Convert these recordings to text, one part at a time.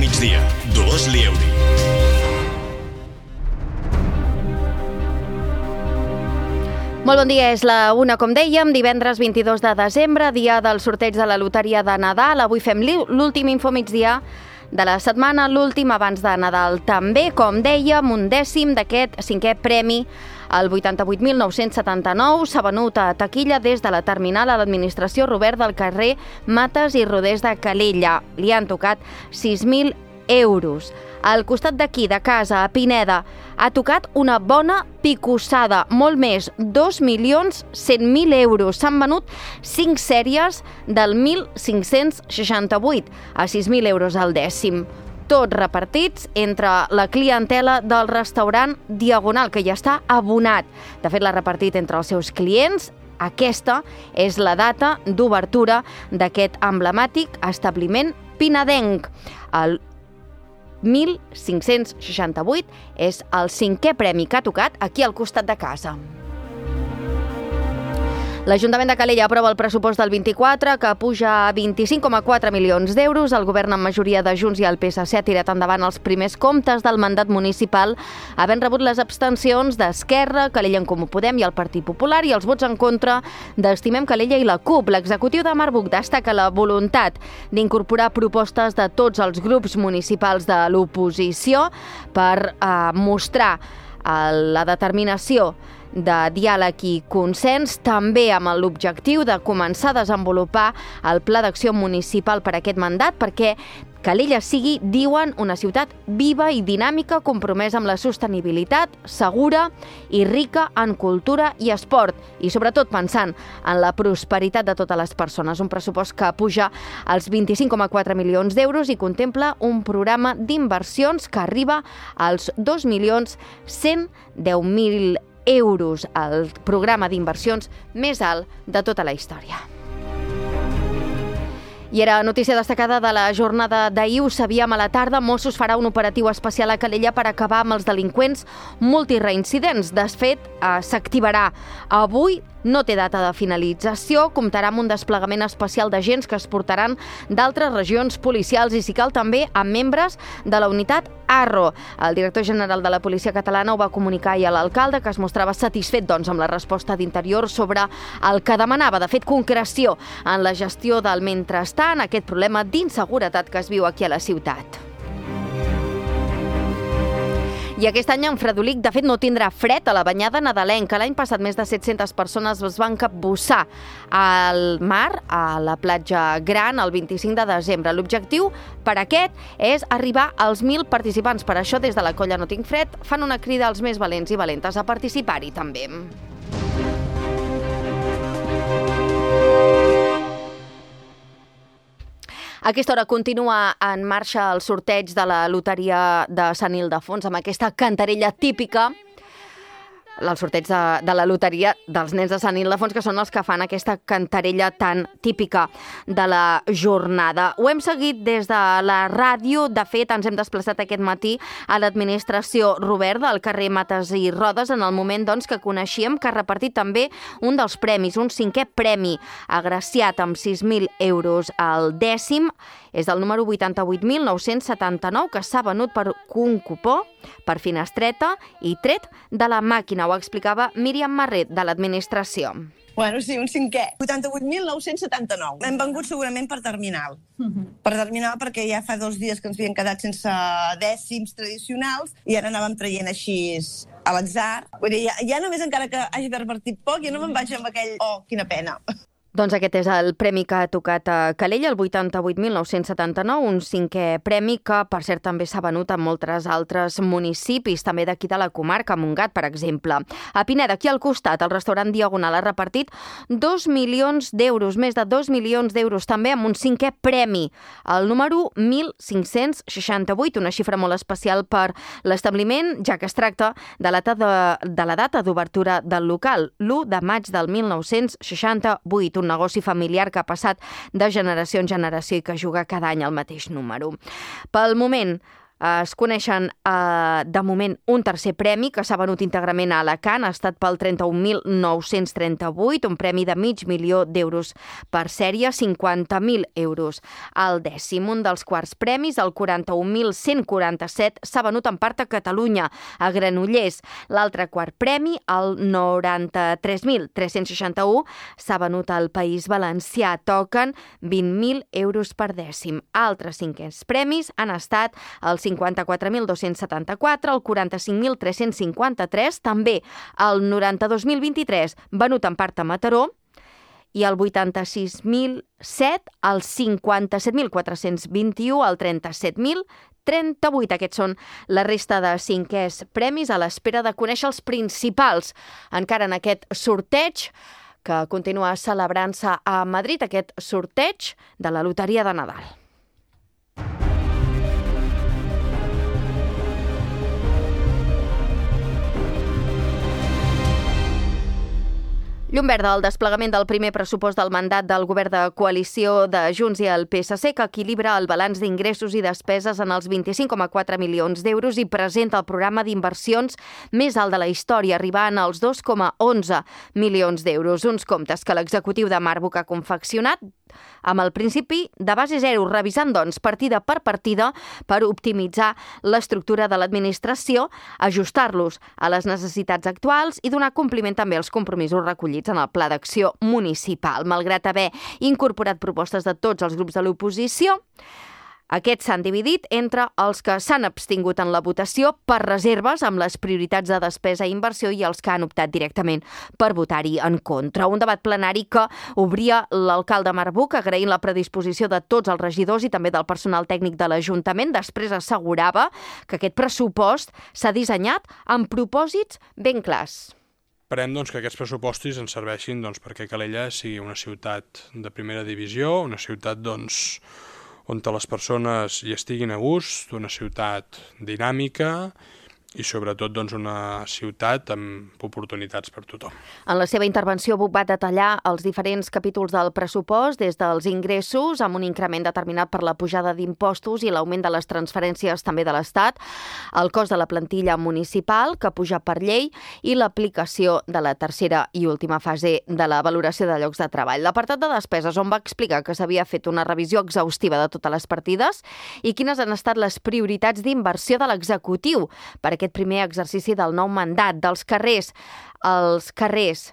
migdia. Dolors Lieuri. Molt bon dia, és la 1, com dèiem, divendres 22 de desembre, dia del sorteig de la loteria de Nadal. Avui fem l'últim infomigdia de la setmana, l'últim abans de Nadal. També, com dèiem, un dècim d'aquest 5è premi, el 88.979, s'ha venut a taquilla des de la terminal a l'administració Robert del carrer Mates i Rodés de Calella. Li han tocat 6.000 euros. Al costat d'aquí, de casa, a Pineda, ha tocat una bona picossada, molt més, 2.100.000 euros. S'han venut 5 sèries del 1.568 a 6.000 euros al dècim. Tots repartits entre la clientela del restaurant Diagonal, que ja està abonat. De fet, l'ha repartit entre els seus clients. Aquesta és la data d'obertura d'aquest emblemàtic establiment pinedenc. El 1.568 és el 5è premi que ha tocat aquí al costat de casa. L'Ajuntament de Calella aprova el pressupost del 24, que puja a 25,4 milions d'euros. El govern, amb majoria de Junts i el PSC, ha tirat endavant els primers comptes del mandat municipal, havent rebut les abstencions d'Esquerra, Calella en Comú Podem i el Partit Popular, i els vots en contra d'Estimem Calella i la CUP. L'executiu de Marbuc destaca la voluntat d'incorporar propostes de tots els grups municipals de l'oposició per mostrar la determinació de diàleg i consens, també amb l'objectiu de començar a desenvolupar el Pla d'Acció Municipal per a aquest mandat, perquè Calella sigui, diuen, una ciutat viva i dinàmica, compromesa amb la sostenibilitat, segura i rica en cultura i esport, i sobretot pensant en la prosperitat de totes les persones. Un pressupost que puja als 25,4 milions d'euros i contempla un programa d'inversions que arriba als 2.110.000 euros, el programa d'inversions més alt de tota la història. I era notícia destacada de la jornada d'ahir. Ho sabíem a la tarda, Mossos farà un operatiu especial a Calella per acabar amb els delinqüents multireincidents. De fet, s'activarà avui, no té data de finalització, comptarà amb un desplegament especial d'agents que es portaran d'altres regions policials i, si cal, també amb membres de la unitat Arro. El director general de la Policia Catalana ho va comunicar ahir a l'alcalde, que es mostrava satisfet amb la resposta d'Interior sobre el que demanava, de fet, concreció en la gestió del mentrestant, aquest problema d'inseguretat que es viu aquí a la ciutat. I aquest any en Fredolic, de fet, no tindrà fred a la banyada nadalenca. L'any passat més de 700 persones es van capbussar al mar, a la platja Gran, el 25 de desembre. L'objectiu per aquest és arribar als 1.000 participants. Per això, des de la colla No Tinc Fred, fan una crida als més valents i valentes a participar-hi també. A aquesta hora continua en marxa el sorteig de la loteria de Sant Ildefons amb aquesta cantarella típica, el sorteig de la loteria dels nens de Sant Ildefons, que són els que fan aquesta cantarella tan típica de la jornada. Ho hem seguit des de la ràdio. De fet, ens hem desplaçat aquest matí a l'administració Robert del carrer Mates i Rodes, en el moment que coneixíem que ha repartit també un dels premis, un 5è premi, agraciat amb 6.000 euros al dècim. És el número 88.979, que s'ha venut per un cupó, per finestreta i tret de la màquina. Ho explicava Míriam Marret, de l'administració. Bueno, sí, un 5è. 88.979. Hem vengut segurament per terminal. Per terminal, perquè ja fa 2 dies que ens havien quedat sense dècims tradicionals i ara anàvem traient així a l'atzar. Vull dir, ja només encara que hagi repartit poc, ja no me'n vaig amb aquell quina pena. Doncs aquest és el premi que ha tocat a Calella, el 88.979, un 5è premi que, per cert, també s'ha venut a molts altres municipis, també d'aquí de la comarca, Montgat, per exemple. A Pineda, aquí al costat, el restaurant Diagonal ha repartit 2 milions d'euros, més de 2 milions d'euros, també amb un 5è premi, el número 1.568, una xifra molt especial per l'establiment, ja que es tracta de la data d'obertura del local, l'1 de maig del 1968, un negoci familiar que ha passat de generació en generació i que juga cada any el mateix número. Pel moment, Es coneixen de moment un tercer premi que s'ha venut íntegrament a Alacant, ha estat pel 31.938, un premi de $500.000 per sèrie, 50.000 euros al dècim. Un dels quarts premis, el 41.147, s'ha venut en part a Catalunya, a Granollers. L'altre quart premi, el 93.361, s'ha venut al País Valencià. Toquen 20.000 euros per dècim. Altres cinquens premis han estat el 54.274, el 45.353, també el 92.023 venut en part a Mataró, i el 86.007, el 57.421, el 37.038. Aquests són la resta de cinquers premis a l'espera de conèixer els principals encara en aquest sorteig que continua celebrant-se a Madrid, aquest sorteig de la Loteria de Nadal. Llum verda al desplegament del primer pressupost del mandat del govern de coalició de Junts i el PSC, que equilibra el balanç d'ingressos i despeses en els 25,4 milions d'euros i presenta el programa d'inversions més alt de la història, arribant als 2,11 milions d'euros. Uns comptes que l'executiu de Marbuc ha confeccionat amb el principi de base zero, revisant, doncs, partida per partida per optimitzar l'estructura de l'administració, ajustar-los a les necessitats actuals i donar compliment també als compromisos recollits en el Pla d'Acció Municipal. Malgrat haver incorporat propostes de tots els grups de l'oposició, aquests s'han dividit entre els que s'han abstingut en la votació per reserves amb les prioritats de despesa i inversió i els que han optat directament per votar-hi en contra. Un debat plenari que obria l'alcalde Marbuc agraint la predisposició de tots els regidors i també del personal tècnic de l'Ajuntament. Després assegurava que aquest pressupost s'ha dissenyat amb propòsits ben clars. Esperem que aquests pressupostos ens serveixin perquè Calella sigui una ciutat de primera divisió, una ciutat on les persones hi estiguin a gust, una ciutat dinàmica i sobretot una ciutat amb oportunitats per tothom. En la seva intervenció, Buch va detallar els diferents capítols del pressupost, des dels ingressos, amb un increment determinat per la pujada d'impostos i l'augment de les transferències també de l'Estat, el cost de la plantilla municipal, que puja per llei, i l'aplicació de la tercera i última fase de la valoració de llocs de treball. L'apartat de despeses, on va explicar que s'havia fet una revisió exhaustiva de totes les partides i quines han estat les prioritats d'inversió de l'executiu per aquest primer exercici del nou mandat. Dels carrers, els carrers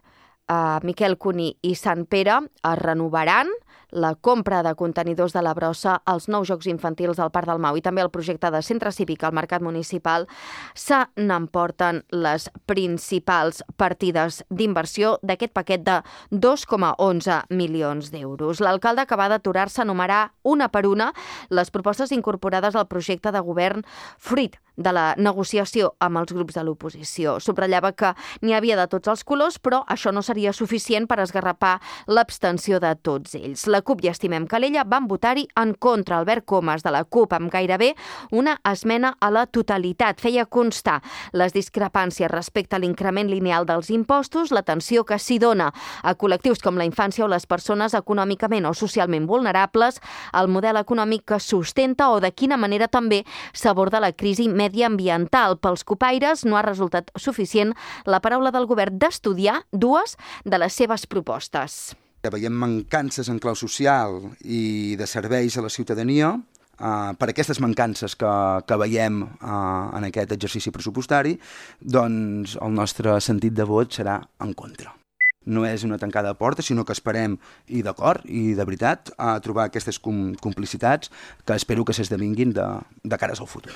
Miquel Cuní i Sant Pere es renovaran, la compra de contenidors de la brossa, els nous jocs infantils al Parc del Mau i també el projecte de centre cívic al Mercat Municipal se n'emporten les principals partides d'inversió d'aquest paquet de 2,11 milions d'euros. L'alcalde acaba d'aturar-se a enumerar una per una les propostes incorporades al projecte de govern fruit de la negociació amb els grups de l'oposició. Subratllava que n'hi havia de tots els colors, però això no seria suficient per esgarrapar l'abstenció de tots ells. La CUP i Estimem Calella van votar-hi en contra. Albert Comas, de la CUP, amb gairebé una esmena a la totalitat. Feia constar les discrepàncies respecte a l'increment lineal dels impostos, l'atenció que s'hi dona a col·lectius com la infància o les persones econòmicament o socialment vulnerables, el model econòmic que sustenta o de quina manera també s'aborda la crisi mediambiental. Pels copaires no ha resultat suficient la paraula del govern d'estudiar dues de les seves propostes. Veiem mancances en clau social i de serveis a la ciutadania. Per aquestes mancances que veiem en aquest exercici pressupostari, doncs el nostre sentit de vot serà en contra. No és una tancada de porta, sinó que esperem, i d'acord, i de veritat, a trobar aquestes complicitats que espero que s'esdevinguin de cares al futur.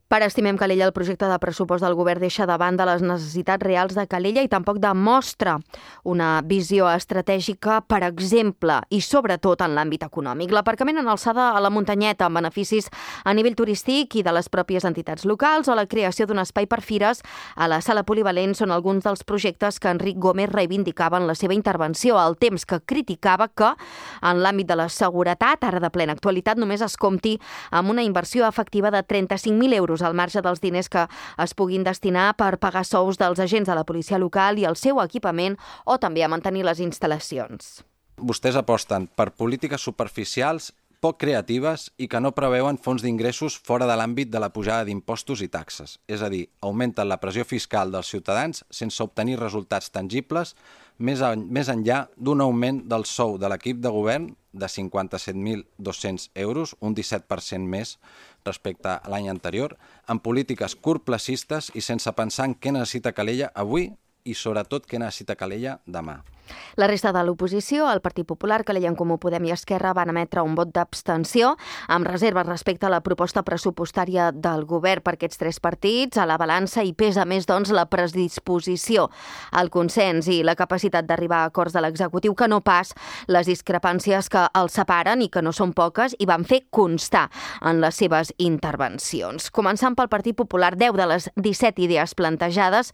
Per Estimem Calella, el projecte de pressupost del govern deixa de banda les necessitats reals de Calella i tampoc demostra una visió estratègica, per exemple, i sobretot en l'àmbit econòmic. L'aparcament en alçada a la muntanyeta amb beneficis a nivell turístic i de les pròpies entitats locals o la creació d'un espai per fires a la sala polivalent són alguns dels projectes que Enric Gómez reivindicava en la seva intervenció, al temps que criticava que en l'àmbit de la seguretat, ara de plena actualitat, només es compti amb una inversió efectiva de 35.000 euros al marge dels diners que es puguin destinar per pagar sous dels agents de la policia local i el seu equipament o també a mantenir les instal·lacions. Vostès aposten per polítiques superficials, poc creatives i que no preveuen fonts d'ingressos fora de l'àmbit de la pujada d'impostos i taxes. És a dir, augmenten la pressió fiscal dels ciutadans sense obtenir resultats tangibles més enllà d'un augment del sou de l'equip de govern de 57.200 euros, un 17% més respecte a l'any anterior, en polítiques curtplacistes i sense pensar en què necessita Calella avui i sobretot què necessita Calella demà. La resta de l'oposició, el Partit Popular, Calella en Comú Podem i Esquerra, van emetre un vot d'abstenció amb reserves respecte a la proposta pressupostària del govern. Per aquests tres partits, a la balança hi pesa més, doncs, la predisposició al consens i la capacitat d'arribar a acords de l'executiu, que no pas les discrepàncies que els separen i que no són poques i van fer constar en les seves intervencions. Començant pel Partit Popular, 10 de les 17 idees plantejades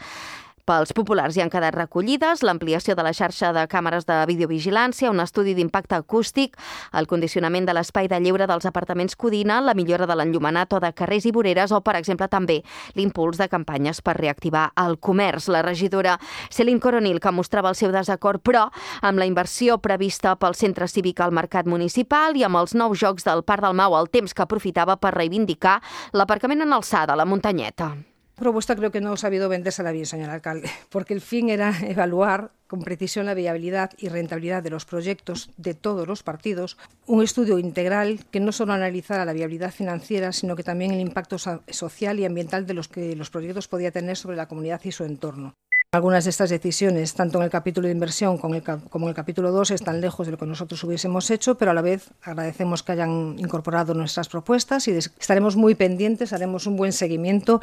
pels populars hi han quedat recollides: l'ampliació de la xarxa de càmeres de videovigilància, un estudi d'impacte acústic, el condicionament de l'espai de lleure dels apartaments Codina, la millora de l'enllumenat o de carrers i voreres o, per exemple, també l'impuls de campanyes per reactivar el comerç. La regidora Céline Coronil, que mostrava el seu desacord, però amb la inversió prevista pel centre cívic al mercat municipal i amb els nous jocs del Parc del Mau, el temps que aprofitava per reivindicar l'aparcament en alçada, la muntanyeta. Propuesta creo que no ha sabido vendérsela bien, señor alcalde, porque el fin era evaluar con precisión la viabilidad y rentabilidad de los proyectos de todos los partidos, un estudio integral que no solo analizara la viabilidad financiera, sino que también el impacto social y ambiental de los que los proyectos podían tener sobre la comunidad y su entorno. Algunas de estas decisiones, tanto en el capítulo de inversión como en el capítulo 2, están lejos de lo que nosotros hubiésemos hecho, pero a la vez agradecemos que hayan incorporado nuestras propuestas y estaremos muy pendientes, haremos un buen seguimiento.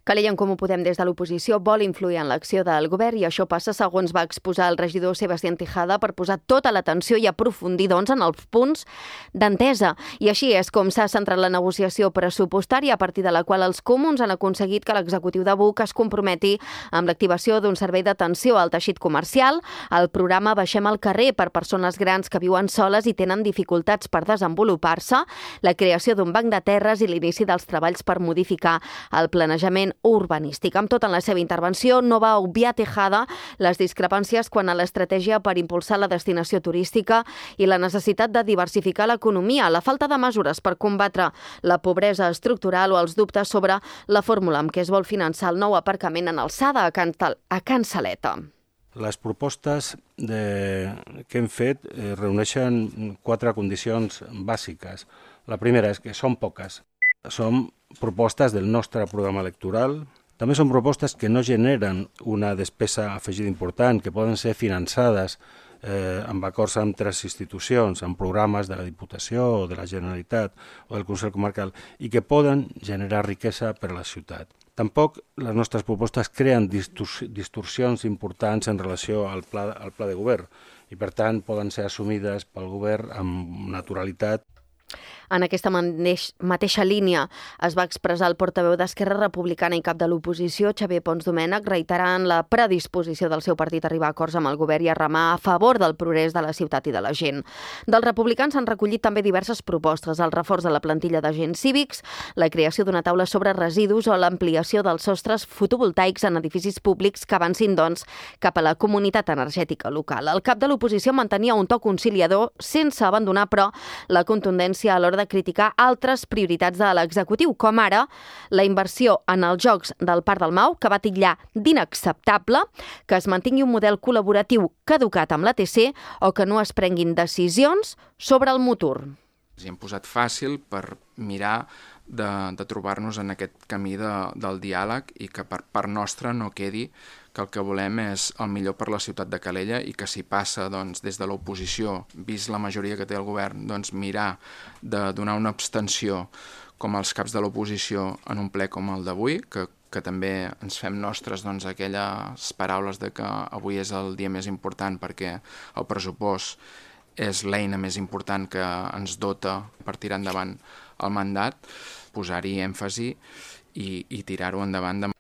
Calella en Comú Podem des de l'oposició vol influir en l'acció del govern i això passa, segons va exposar el regidor Sebastián Tejada, per posar tota l'atenció i aprofundir, doncs, en els punts d'entesa. I així és com s'ha centrat la negociació pressupostària, a partir de la qual els comuns han aconseguit que l'executiu de BUC es comprometi amb l'activació d'un servei d'atenció al teixit comercial, el programa Baixem al carrer per persones grans que viuen soles i tenen dificultats per desenvolupar-se, la creació d'un banc de terres i l'inici dels treballs per modificar el planejament urbanístic. Amb tot, en la seva intervenció no va obviar Tejada les discrepàncies quant a l'estratègia per impulsar la destinació turística i la necessitat de diversificar l'economia, la falta de mesures per combatre la pobresa estructural o els dubtes sobre la fórmula amb què es vol finançar el nou aparcament en alçada a Can Saleta. Les propostes que hem fet reuneixen 4 condicions bàsiques. La primera és que són poques. Són propostes del nostre programa electoral. També són propostes que no generen una despesa afegida important, que poden ser finançades amb acords amb 3 institucions, amb programes de la Diputació o de la Generalitat o del Consell Comarcal, i que poden generar riquesa per a la ciutat. Tampoc les nostres propostes creen distorsions importants en relació al pla de govern i, per tant, poden ser assumides pel govern amb naturalitat. En aquesta mateixa línia es va expressar el portaveu d'Esquerra Republicana i cap de l'oposició, Xavier Pons Domènech, reiterant la predisposició del seu partit a arribar a acords amb el govern i a remar a favor del progrés de la ciutat i de la gent. Dels republicans s'han recollit també diverses propostes: el reforç de la plantilla d'agents cívics, la creació d'una taula sobre residus o l'ampliació dels sostres fotovoltaics en edificis públics que avancin, doncs, cap a la comunitat energètica local. El cap de l'oposició mantenia un to conciliador sense abandonar, però, la contundència a l'hora de criticar altres prioritats de l'executiu, com ara la inversió en els jocs del Parc del Mau, que va titllar d'inacceptable, que es mantingui un model col·laboratiu caducat amb l'ATC o que no es prenguin decisions sobre el Motur. Ens hi hem posat fàcil per mirar de trobar-nos en aquest camí del diàleg i que per part nostra no quedi que el que volem és el millor per la ciutat de Calella i que si passa des de l'oposició, vist la majoria que té el govern, mirar de donar una abstenció com els caps de l'oposició en un ple com el d'avui, que també ens fem nostres aquelles paraules de que avui és el dia més important perquè el pressupost és l'eina més important que ens dota per tirar endavant el mandat, posar-hi èmfasi i tirar-ho endavant.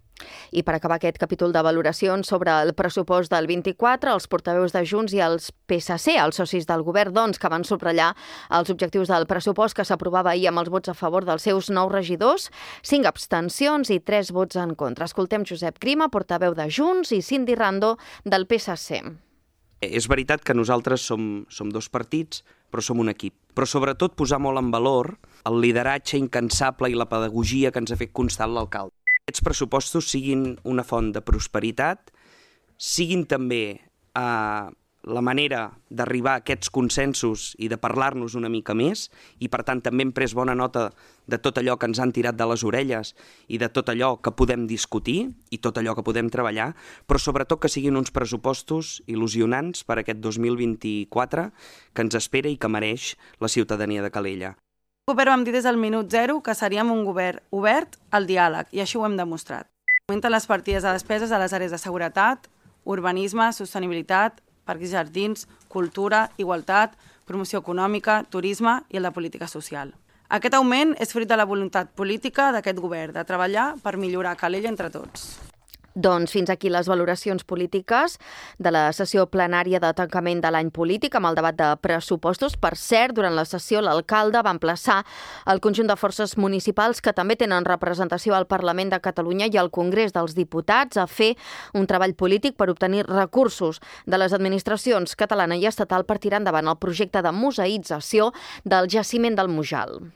I per acabar aquest capítol de valoracions sobre el pressupost del 24, els portaveus de Junts i els PSC, els socis del govern, que van subratllar els objectius del pressupost que s'aprovava ahir amb els vots a favor dels seus 9 regidors, 5 abstencions i 3 vots en contra. Escoltem Josep Grima, portaveu de Junts, i Cindy Rando, del PSC. És veritat que nosaltres som 2 partits però som un equip. Però sobretot posar molt en valor el lideratge incansable i la pedagogia que ens ha fet constant l'alcalde. Aquests pressupostos siguin una font de prosperitat, siguin també la manera d'arribar a aquests consensos i de parlar-nos una mica més, i per tant també hem pres bona nota de tot allò que ens han tirat de les orelles i de tot allò que podem discutir i tot allò que podem treballar, però sobretot que siguin uns pressupostos il·lusionants per aquest 2024 que ens espera i que mereix la ciutadania de Calella. El govern vam dir des del minut zero que seríem un govern obert al diàleg, i així ho hem demostrat. Augmenten les partides de despeses a les àrees de seguretat, urbanisme, sostenibilitat, parcs i jardins, cultura, igualtat, promoció econòmica, turisme i el de política social. Aquest augment és fruit de la voluntat política d'aquest govern de treballar per millorar Calella entre tots. Doncs fins aquí les valoracions polítiques de la sessió plenària de tancament de l'any polític amb el debat de pressupostos. Per cert, durant la sessió l'alcalde va emplaçar el conjunt de forces municipals que també tenen representació al Parlament de Catalunya i al Congrés dels Diputats a fer un treball polític per obtenir recursos de les administracions catalana i estatal per tirar endavant el projecte de museïtzació del jaciment del Mujal.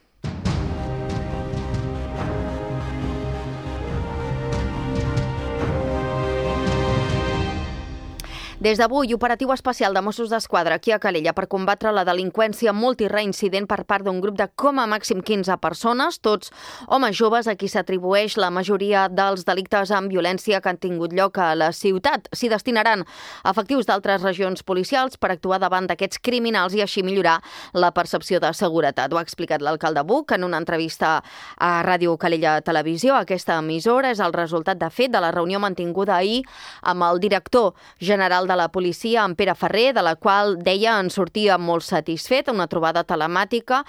Des d'avui, operatiu especial de Mossos d'Esquadra aquí a Calella per combatre la delinqüència multireincident per part d'un grup de com a màxim 15 persones, tots homes joves a qui s'atribueix la majoria dels delictes amb violència que han tingut lloc a la ciutat. S'hi destinaran efectius d'altres regions policials per actuar davant d'aquests criminals i així millorar la percepció de seguretat. Ho ha explicat l'alcalde Buch en una entrevista a Ràdio Calella Televisió. Aquesta emissora és el resultat, de fet, de la reunió mantinguda ahir amb el director general de la policia, en Pere Ferrer, de la qual deia en sortia molt satisfet, una trobada telemàtica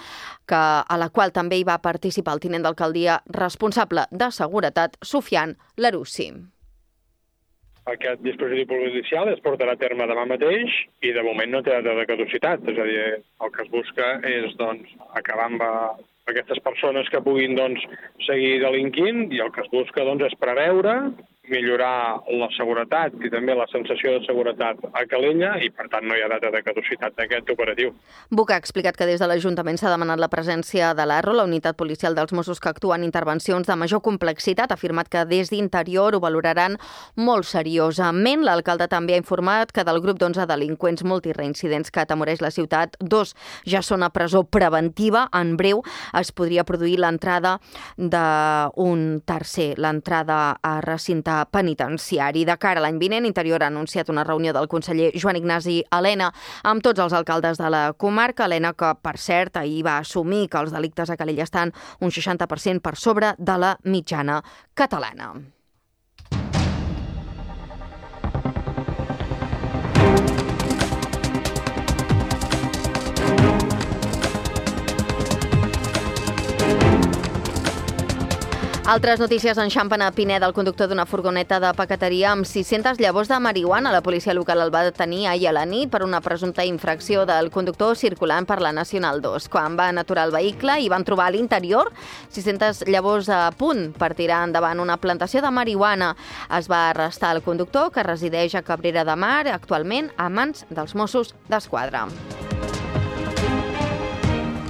a la qual també hi va participar el tinent d'alcaldia responsable de seguretat, Sufian Larussi. Aquest dispositiu policial es portarà a terme demà mateix i de moment no té data de caducitat, és a dir, el que es busca és acabar amb aquestes persones que puguin seguir delinquint i el que es busca és preveure, millorar la seguretat i també la sensació de seguretat a Calella i, per tant, no hi ha data de caducitat d'aquest operatiu. Buch ha explicat que des de l'Ajuntament s'ha demanat la presència de l'ARRO, la unitat policial dels Mossos que actua en intervencions de major complexitat. Ha afirmat que des d'Interior ho valoraran molt seriosament. L'alcalde també ha informat que del grup d'11 delinqüents multireincidents que atemoreix la ciutat, 2 ja són a presó preventiva. En breu es podria produir l'entrada d'un tercer, l'entrada a recinte penitenciari. De cara a l'any vinent, Interior ha anunciat una reunió del conseller Joan Ignasi Elena amb tots els alcaldes de la comarca. Elena, que per cert ahir va assumir que els delictes a Calella estan un 60% per sobre de la mitjana catalana. Altres notícies enxampen a Pineda, el conductor d'una furgoneta de paqueteria amb 600 llavors de marihuana. La policia local el va detenir ahir a la nit per una presumpta infracció del conductor circulant per la Nacional 2. Quan van aturar el vehicle i van trobar a l'interior 600 llavors a punt per tirar endavant una plantació de marihuana. Es va arrestar el conductor, que resideix a Cabrera de Mar, actualment a mans dels Mossos d'Esquadra.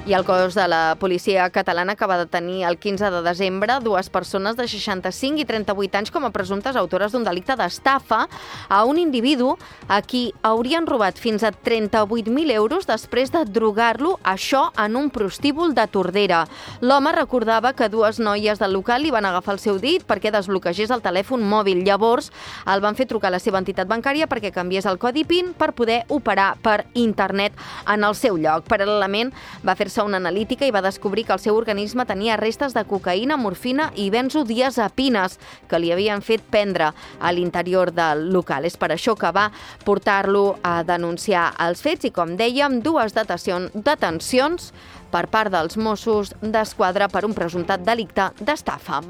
I el cos de la policia catalana que va detenir el 15 de desembre 2 persones de 65 i 38 anys com a presumptes autores d'un delicte d'estafa a un individu a qui haurien robat fins a 38.000 euros després de drogar-lo, això en un prostíbul de Tordera. L'home recordava que 2 noies del local li van agafar el seu dit perquè desbloquegés el telèfon mòbil. Llavors el van fer trucar a la seva entitat bancària perquè canviés el codi PIN per poder operar per internet en el seu lloc. Paral·lelament va fer-se una analítica i va descobrir que el seu organisme tenia restes de cocaïna, morfina i benzodiazepines que li havien fet prendre a l'interior del local. És per això que va portar-lo a denunciar els fets i, com dèiem, 2 detencions per part dels Mossos d'Esquadra per un presumptat delicte d'estafa.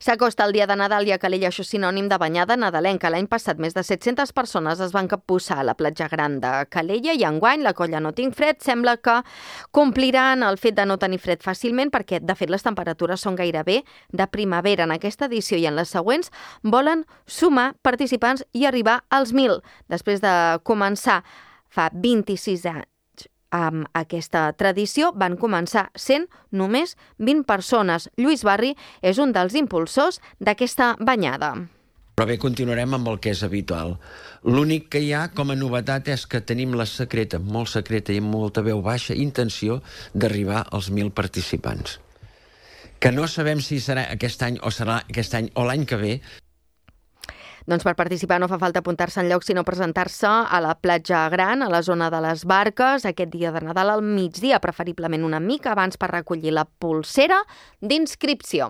S'acosta el dia de Nadal i a Calella això és sinònim de banyada nadalenca. L'any passat més de 700 persones es van capbussar a la platja gran de Calella i enguany la colla No Tinc Fred sembla que compliran el fet de no tenir fred fàcilment perquè, de fet, les temperatures són gairebé de primavera. En aquesta edició i en les següents volen sumar participants i arribar als 1.000. Després de començar fa 26 anys amb aquesta tradició, van començar sent només 20 persones. Lluís Barri és un dels impulsors d'aquesta banyada. Però bé, continuarem amb el que és habitual. L'únic que hi ha com a novetat és que tenim la secreta, molt secreta i amb molta veu baixa, intenció d'arribar als 1.000 participants. Que no sabem si serà aquest any o serà aquest any o l'any que ve. Doncs per participar no fa falta apuntar-se enlloc, sinó presentar-se a la platja gran, a la zona de les barques, aquest dia de Nadal al migdia, preferiblement una mica abans per recollir la polsera d'inscripció.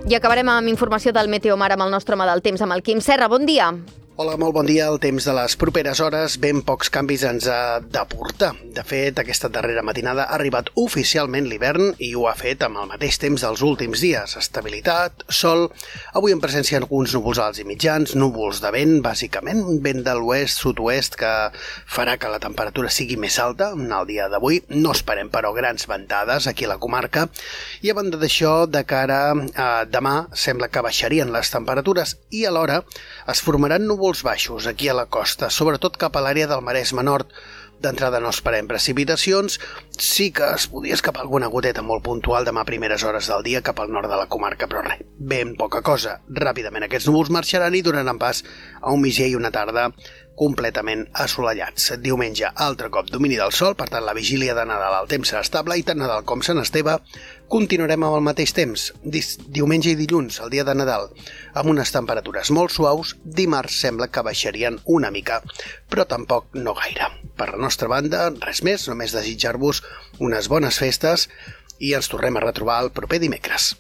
I acabarem amb informació del Meteomar amb el nostre home del temps, amb el Quim Serra. Bon dia. Hola, molt bon dia. El temps de les properes hores ben pocs canvis ens ha de portar. De fet, aquesta darrera matinada ha arribat oficialment l'hivern i ho ha fet amb el mateix temps dels últims dies. Estabilitat, sol, avui en presència d'alguns núvols alts i mitjans, núvols de vent, bàsicament, un vent de l'oest, sud-oest, que farà que la temperatura sigui més alta en el dia d'avui. No esperem, però, grans ventades aquí a la comarca. I a banda d'això, de cara a demà, sembla que baixarien les temperatures i alhora es formaran núvols baixos aquí a la costa, sobretot cap a l'àrea del Maresme Nord. D'entrada no esperem precipitacions, sí que es podria escapar alguna goteta molt puntual demà a primeres hores del dia cap al nord de la comarca, però res, ben poca cosa. Ràpidament aquests núvols marxaran i donaran pas a un migdia i una tarda completament assolellats. Diumenge, altre cop domini del sol, per tant la vigília de Nadal el temps serà estable i tant Nadal com Sant Esteve continuarem amb el mateix temps. Diumenge i dilluns, el dia de Nadal, amb unes temperatures molt suaus. Dimarts sembla que baixarien una mica, però tampoc no gaire. Per la nostra banda, res més, només desitjar-vos unes bones festes i ens tornem a retrobar el proper dimecres.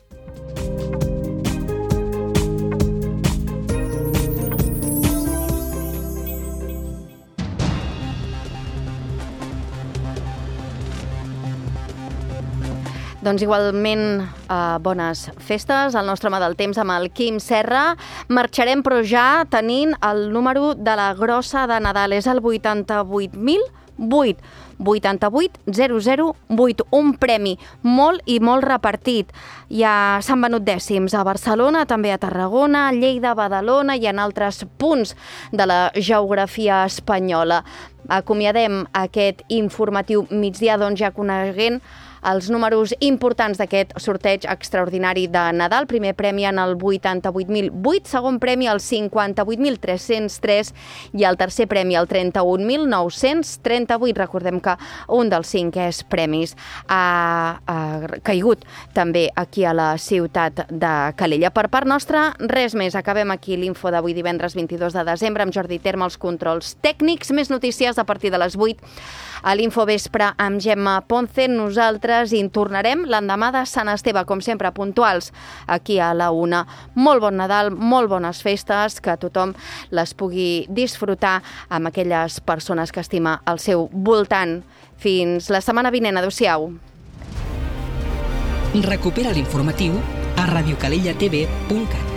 Doncs igualment bones festes al nostre home del temps amb el Quim Serra. Marxarem però ja tenint el número de la grossa de Nadal. És el 88.008. 88.008, un premi molt i molt repartit. Ja s'han venut dècims a Barcelona, també a Tarragona, a Lleida, a Badalona i en altres punts de la geografia espanyola. Acomiadem aquest informatiu migdia, doncs ja coneguent els números importants d'aquest sorteig extraordinari de Nadal. Primer premi en el 88.008, segon premi al 58.303 i el tercer premi al 31.938. Recordem que un dels 5 premis ha caigut també aquí a la ciutat de Calella. Per part nostra, res més. Acabem aquí l'info d'avui divendres 22 de desembre amb Jordi Terme als controls tècnics. Més notícies a partir de les 8 a l'Infovespre amb Gemma Ponce. Nosaltres hi tornarem l'endemà de Sant Esteve, com sempre, puntuals aquí a la 1. Molt bon Nadal, molt bones festes, que tothom les pugui disfrutar amb aquelles persones que estima al seu voltant. Fins la setmana vinent. Adéu-siau. Recupera l'informatiu a radiocalellatv.cat.